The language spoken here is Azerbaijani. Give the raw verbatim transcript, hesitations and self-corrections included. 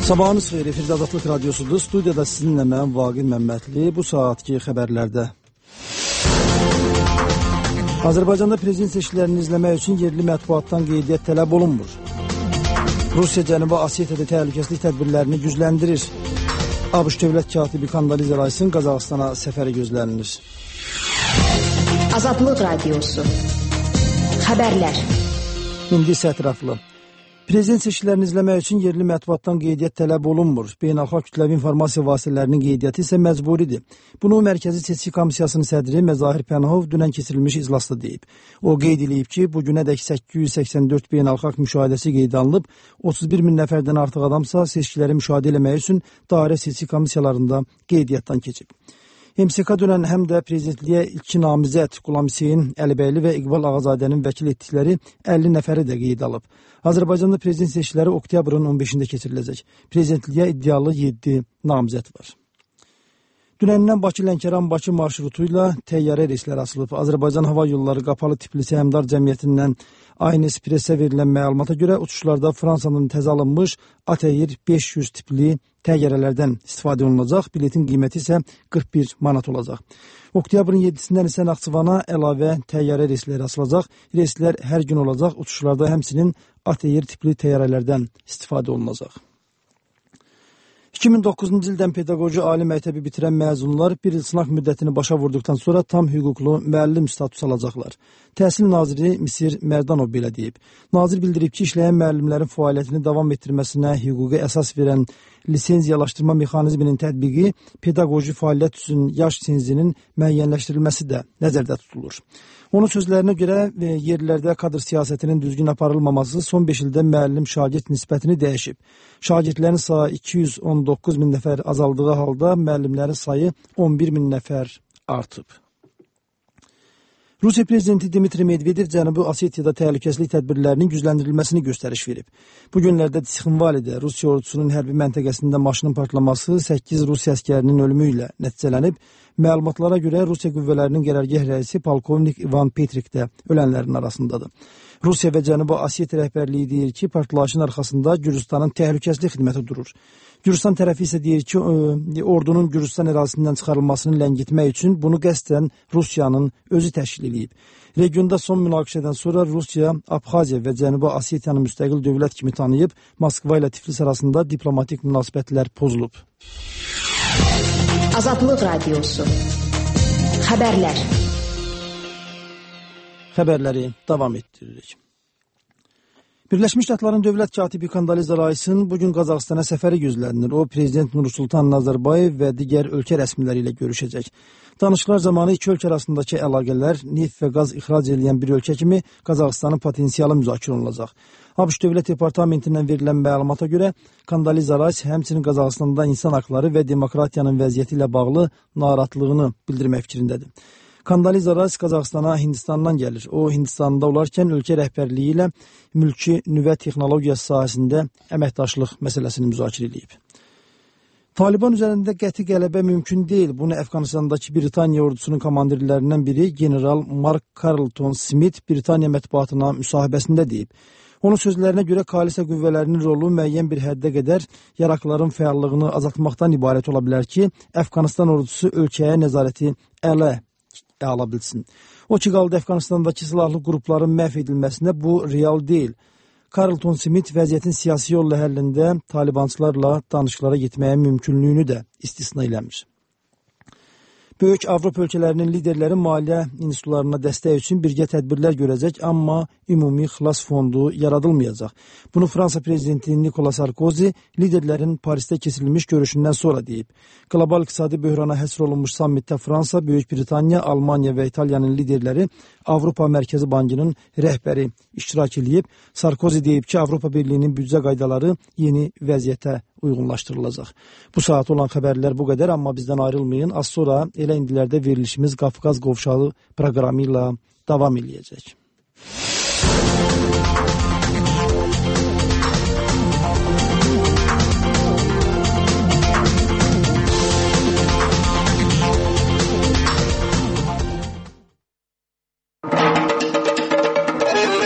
Sabahınız xeyir, efirdə Azadlıq Radyosudur. Studiyada sizinlə mən Vaqif Məmmədli. Bu saatki xəbərlərdə. Azərbaycanda prezident seçkilərini izləmək üçün yerli mətbuatdan qeydiyyat tələb olunmur. Rusiya Cənubi Osetiyada təhlükəsizlik tədbirlərini gücləndirir. ABŞ dövlət katibi Kandaliza Raysin Qazaxstana səfəri gözlənilir. Azadlıq Radyosu. Xəbərlər. İndi isə ətraflı. Prezident seçkilərini izləmək üçün yerli mətbuatdan qeydiyyat tələb olunmur. Beynəlxalq kütləvi informasiya vasitələrinin qeydiyyatı isə məcburidir. Bunu Mərkəzi Seçki Komissiyasının sədri Məzahir Pənahov dünən keçirilmiş iclasda deyib. O qeyd edib ki, bu günədək səkkiz yüz səksən dörd beynəlxalq müşahidəsi qeydə alınıb, otuz bir min nəfərdən artıq adamsa seçkiləri müşahidə etmək üçün dairə seçki komissiyalarında qeydiyyatdan keçib. M S K dünən həm də prezidentliyə iki namizəd Qulam Hüseyn Əlibəyli və İqbal Ağazadənin vəkil etdikləri əlli nəfəri də qeyd alıb. Azərbaycanda prezident seçkiləri oktyabrın on beşində keçiriləcək. Prezidentliyə iddialı yeddi namizəd var. Dünəndən Bakı-Lənkəran-Bakı marşrutu ilə təyyarə reysləri açılıb. Azərbaycan Hava Yolları Qapalı Tipli Səhmdar Cəmiyyətindən Aynes Pressə verilən məlumata görə uçuşlarda Fransanın təzə alınmış A T R beş yüz tipli təyyarələrdən istifadə olunacaq. Biletin qiyməti isə qırx bir manat olacaq. Oktyabrın yeddisindən isə Naxçıvana əlavə təyyarə reysləri açılacaq. Reyslər hər gün olacaq. Uçuşlarda həmçinin A T R tipli təyyarələrdən istifadə olunacaq. iki min doqquzuncu ildən pedaqoji ali məktəbi bitirən məzunlar bir il sınaq müddətini başa vurduqdan sonra tam hüquqlu müəllim statusu alacaqlar. Təhsil naziri Misir Mərdanov belə deyib. Nazir bildirib ki, işləyən müəllimlərin fəaliyyətini davam etdirməsinə hüquqi əsas verən lisenziyalaşdırma mexanizminin tətbiqi, pedaqoji fəaliyyət üçün yaş senzinin müəyyənləşdirilməsi də nəzərdə tutulur. Onun sözlərinə görə yerlərdə kadr siyasətinin düzgün aparılmaması son beş ildə müəllim-şagird nisbətini dəyişib. Şagirdlərin sayı iki yüz on doqquz min nəfər azaldığı halda müəllimlərin sayı on bir min nəfər artıb. Rusiya prezidenti Dmitri Medvedev Cənubi Osetiyada təhlükəsizlik tədbirlərinin gücləndirilməsini göstəriş verib. Bu günlərdə Tsixinvalidə Rusiya ordusunun hərbi məntəqəsində maşının partlaması səkkiz Rusiya əskərinin ölümü ilə nəticələnib. Məlumatlara görə Rusiya qüvvələrinin qərargah rəisi polkovnik İvan Petrik də ölənlərin arasındadır. Rusiya və Cənubi Osetiya rəhbərliyi deyir ki, partlayışın arxasında Gürcüstanın təhlükəsizlik xidməti durur. Gürcüstan tərəfi isə deyir ki, ordunun Gürcüstan ərazisindən çıxarılmasını ləngitmək üçün bunu qəsdən Rusiyanın özü təşkil edib. Regionda son münaqişədən sonra Rusiya, Abxaziya və Cənubi Osetiyanı müstəqil dövlət kimi tanıyıb, Moskva ilə Tiflis arasında diplomatik münasibətlər pozulub. Azadlıq Radyosu. Xəbərlər. Xəbərləri davam etdiririk. Birləşmiş Ştatların dövlət katibi Kandaliza Raysin bugün Qazaxstana səfəri gözlənilir. O, Prezident Nursultan Nazarbayev və digər ölkə rəsmiləri ilə görüşəcək. Danışıqlar zamanı iki ölkə arasındakı əlaqələr, neft və qaz ixrac edən bir ölkə kimi Qazaxstanın potensialı müzakirə olunacaq. ABŞ Dövlət Departamentindən verilən məlumata görə Kandaliza Rays həmçinin Qazaxstanda insan haqları və demokratiyanın vəziyyəti ilə bağlı narahatlığını bildirmək fikrindədir. Kandaliza Rays Qazaxstana Hindistandan gəlir. O, Hindistanda olarkən ölkə rəhbərliyi ilə mülki nüvə texnologiyası sahəsində əməkdaşlıq məsələsini müzakirə edib. Taliban üzərində qəti qələbə mümkün deyil. Bunu Əfqanistandakı Britaniya ordusunun komandirlərindən biri General Mark Carleton Smith Britaniya mətbuatına müsahibəsində deyib. Onun sözlərinə görə koalisiya qüvvələrinin rolu müəyyən bir həddə qədər yaraqların fəallığını azaltmaqdan ibarət ola bilər ki, Əfqanistan ordusu ölkəyə nəzarəti ələ ala bilsin. O ki, qaldı Əfqanistandakı silahlı qrupların məhv edilməsində bu real deyil. Carleton Smith vəziyyətin siyasi yolla həllində talibançılarla danışıqlara getməyə mümkünlüyünü də istisna eləmir. Böyük Avropa ölkələrinin liderləri maliyyə institutlarına dəstək üçün birgə tədbirlər görəcək, amma ümumi xilas fondu yaradılmayacaq. Bunu Fransa prezidenti Nicolas Sarkozy liderlərin Parisdə keçirilmiş görüşündən sonra deyib. Qlobal iqtisadi böhrana həsr olunmuş sammitdə Fransa, Böyük Britaniya, Almaniya və İtaliyanın liderləri Avropa Mərkəzi Bankının rəhbəri iştirak edib. Sarkozy deyib ki, Avropa Birliyinin büdcə qaydaları yeni vəziyyətə uyğunlaşdırılacaq. Bu saat olan xəbərlər bu qədər, amma bizdən ayrılmayın. Az sonra elə indilərdə verilişimiz Qafqaz Qovşağı proqramı ilə davam edəcək.